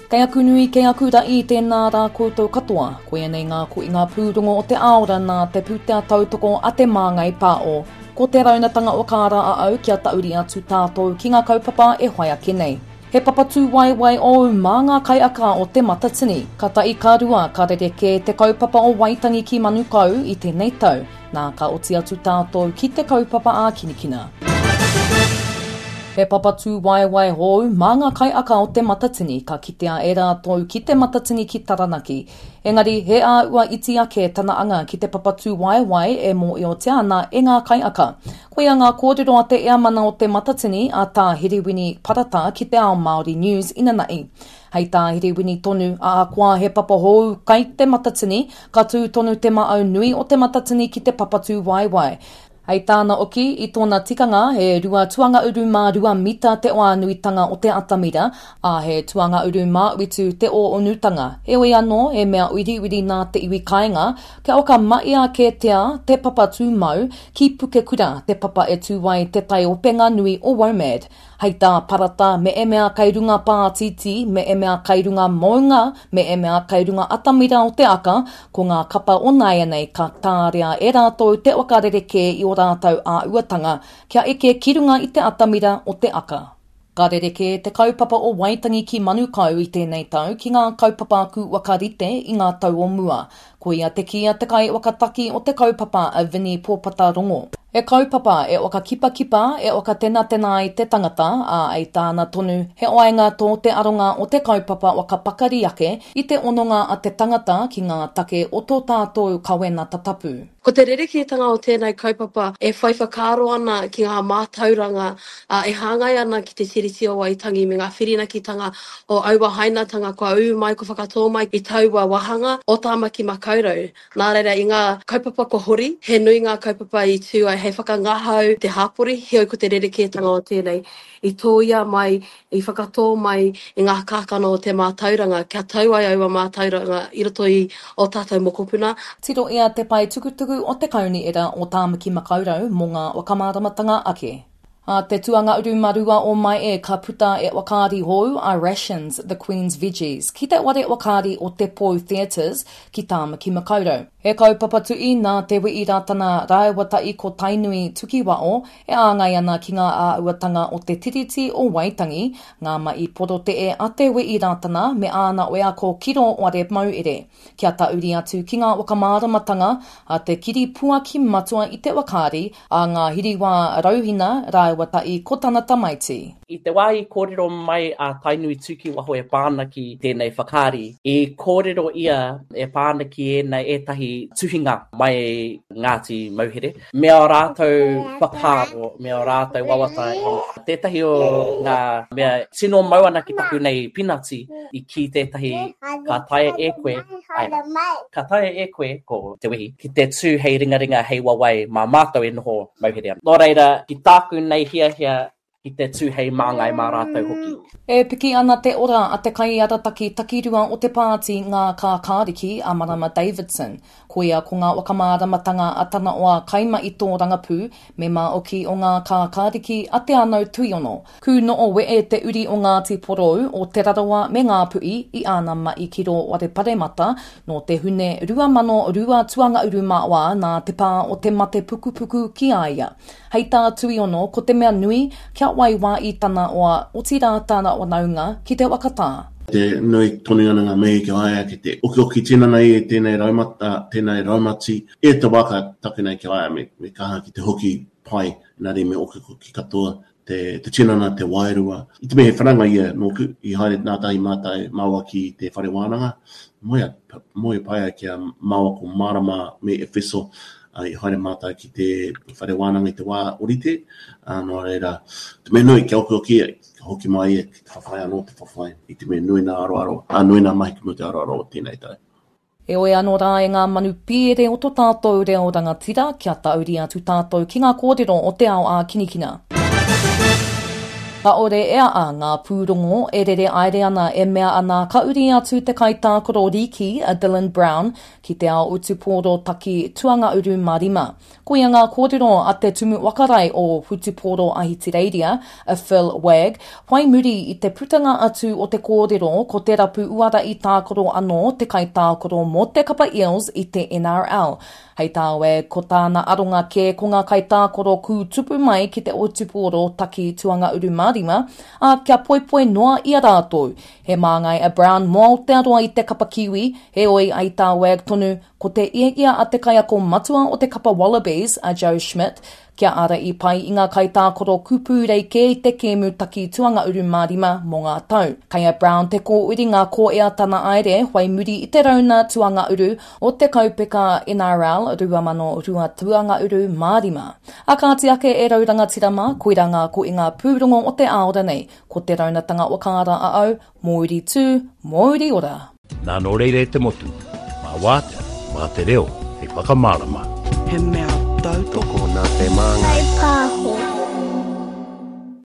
Kei aku nui, kei aku raʻi, tēnā rā koutou katoa. Koia nei ngā koinga pūrongo o te aora nā te pūtea tautoko a Te Māngai Pāo. Ko te raunatanga o kā rā a au kia tauri atu tātou ki ngā kaupapa e whai ake nei. He papa tūwaewae ōu mā ngā kaiaka o Te Matatini. Ka tahi ka rua, ka rerekē te kaupapa o Waitangi ki Manukau i tēnei tau. Nā, ka oti atu tātou ki te kaupapa ākinikina. He papa tūwaewae hou mā ngā kaiaka o Te Matatini ka kitea e rātou ki Te Matatini ki Taranaki. Engari, he āhua iti ake tana anga ki te papa tūwaewae e mōhiotia ana e ngā kaiaka. Koia ngā kōrero a te Eamana o Te Matatini, a Tā Herewini Parata ki Te Ao Māori News inanahi. Hei tā Herewini tonu, ahakoa he papa hou kai Te Matatini, ka tū tonu te maau nui o Te Matatini ki te papa tūwaewae. Hei tāna oki, i tōna tikanga, he 2 tuanga uru mā 2 mita te oānuitanga o te atamira, ā, he tuanga uru mā uitu te ōonutanga. Heoi anō, he mea wiriwiri nā te iwi kāinga, kia whakamahia kētia te papa tūmau ki Pukekura, te papa e tū ai te taiopenga nui o WOMAD. Hei tā Parata, me e mea kai runga pātītī, me e mea kai runga mounga, me e mea kai runga atamira o te aka, ko ngā kapa o nāianei ka tārea e rātou te whakarerekē i ō rātou āhuatanga kia eke ki runga i te atamira o te aka. Ka rerekē te kaupapa o Waitangi ki Manukau i tēnei tau ki ngā kaupapa kūwaka rite i ngā tau o mua. Koia te kī a te kaiwhakataki o te kaupapa a Vinnie Pōpata Rongo. He kaupapa e whakakipakipa, e whakatenatena ai te tangata, ā, ei tāna tonu, he waenga tō te aronga o te kaupapa whakapakari ake i te hononga a te tangata ki ngā take o tō tātou kawenata tapu. Ko te rerekētanga o tēnei kaupapa e whai whakaaro ana ki ngā mātauranga e hāngai ana ki te Tiriti o Waitangi me ngā whirinakitanga o aua hainatanga kua ū mai, kua whakatō mai i taua wāhanga o Tāmaki Makaurau. Nā reira, i ngā kaupapa kua hori, he nui ngā kaupapa i tū ai hei whakangahau te hāpori, heoi ko te rerekētanga o tēnei, i tōia mai, i whakatō mai i ngā kākano o te mātauranga kia tau ai aua mātauranga i roto i ō tātou mokopuna. Tirohia te pae tukutuku o te Kaunihera o Tāmaki Makaurau mō ngā whakamāramatanga ake. A te tuanga uru marua o Mae ka puta e whakaari hou a Rations, The Queen's Veggies, ki te ware whakaari o Te Pou Theatres ki Tāmaki Makaurau. He kaupapa tuʻi nā Te Wii Ratana rāua tahi ko Tainui Tukiwao e āngai ana ki ngā āhuatanga o te Tiriti o Waitangi, ngā mahi porotee a Te Wii Ratana me āna wheako ki rō ware mauere. Kia tauri atu ki ngā whakamāramatanga a te kiripuaki matua i te whakaari, a Ngā Hiriwā Rauhina rāua tahi ko tana tamaiti. I te wā i kōrero mai a Tainui Tukiwaho e pā ana ki tēnei whakaari, i kōrero ia e pā ana ki ēnei ētahi tuhinga mai Ngāti Mauhere, me ō rātou whakaaro, me ō rātou wawata. Tētahi o ngā mea tino mau ana ki taku nei pinati, i kī tētahi ka taea e koe, āe rā, ka taea e koe, ko Te Wehi, ki te tū hei ringaringa, hei wawae mā mātou e noho mauhere ana. Nō reira, ki tāku nei hiahia ki te tū hei māngai mā rātou hoki. E piki ana te ora a te kaiarataki takirua o te pāti Ngā Kākāriki a Marama Davidson. Koia ko ngā whakamāramatanga a tana oa kaimahi tōrangapū, mema oki o Ngā Kākāriki a Te Anau Tuiono. Kū noo wee te uri o Ngāti Porou, o Te Rarawa me Ngāpuhi i āna mahi ki rō ware paremata nō te Hune 2002 tuangauru mā wā nā te pā o te mate pukupuku ki a ia. Hei tā Tuiono ko te mea nui kia wai wā i tana oa otirā tana whanaunga ki te whakatā. Te nui tonu ana ngā mihi ki a ia ki te okioki tinana i tēnei raumata, tēnei raumati, e te wā ka take nei ki a ia me, me kaha ki te hoki pai, engari me okioki katoa te, te tinana, te wairua. I te mea he whanaunga ia nōku, i haere ngātahi mātou māua ki te whare wānanga, moe, moe pai ai ki a māua ko Marama me Efeso, i haere mātou ki te whare wānanga i te wā orite, ā, nō reira, te mea nui kia okioki ia, kia hoki mai ia ki te whawhai anō te whawhai, i te mea nui nā aroaro, ā, nui nā mahi ki mua i te aroaro o tēnei tau. Heoi anō rā e ngā manu pīere o to tātou reo rangatira, kia tauri atu tātou ki ngā kōrero o te ao ākinikina. Kāore e aa ngā pūrongo e rere aere ana e mea ana ka uri atu te kaitākaro rīki a Dylan Brown ki te ao utupōro taki tuangauru mā rima. Koia ngā kōrero a te Tumu Whakarae o Whutupōro Ahitireiria, a Phil Wagg, whai muri i te putanga atu o te kōrero ko te rapu uara i tākaro anō te kaitākaro mō te kapa Eels i te NRL. Hei tā Wagg, ko tāna aronga kē ko ngā kaitākaro kūtupu mai ki te whutupōro taki tuangauru mā rima, ā, kia poipoi noa i a rātou. He māngai a Brown mō Aotearoa i te kapa Kiwi, heoi, hei tā Wagg tonu, Ko te ia a te kaiako matua o te kapa Wallabies, a Joe Schmidt, kia ara i pai i ngā kaitākaro kūpūrei kē i te kēmu taki tuangauru mā rima mō ngā tau. Kei a Brown te kōuringa ko ea tana aere whai muri i te rauna tuangauru o te kaupeka NRL 2002 tuangauru mā rima. A kāti ake e rau rangatira mā, koirā ngā koinga pūrongo o te aora nei, ko te raunatanga whakaara a au, Mōuri tū, mōuri ora! Nā nō reira e te motu, mā wātea, mā te reo hei whakamārama. He mea tautoko nā Te Māngai. Pāho.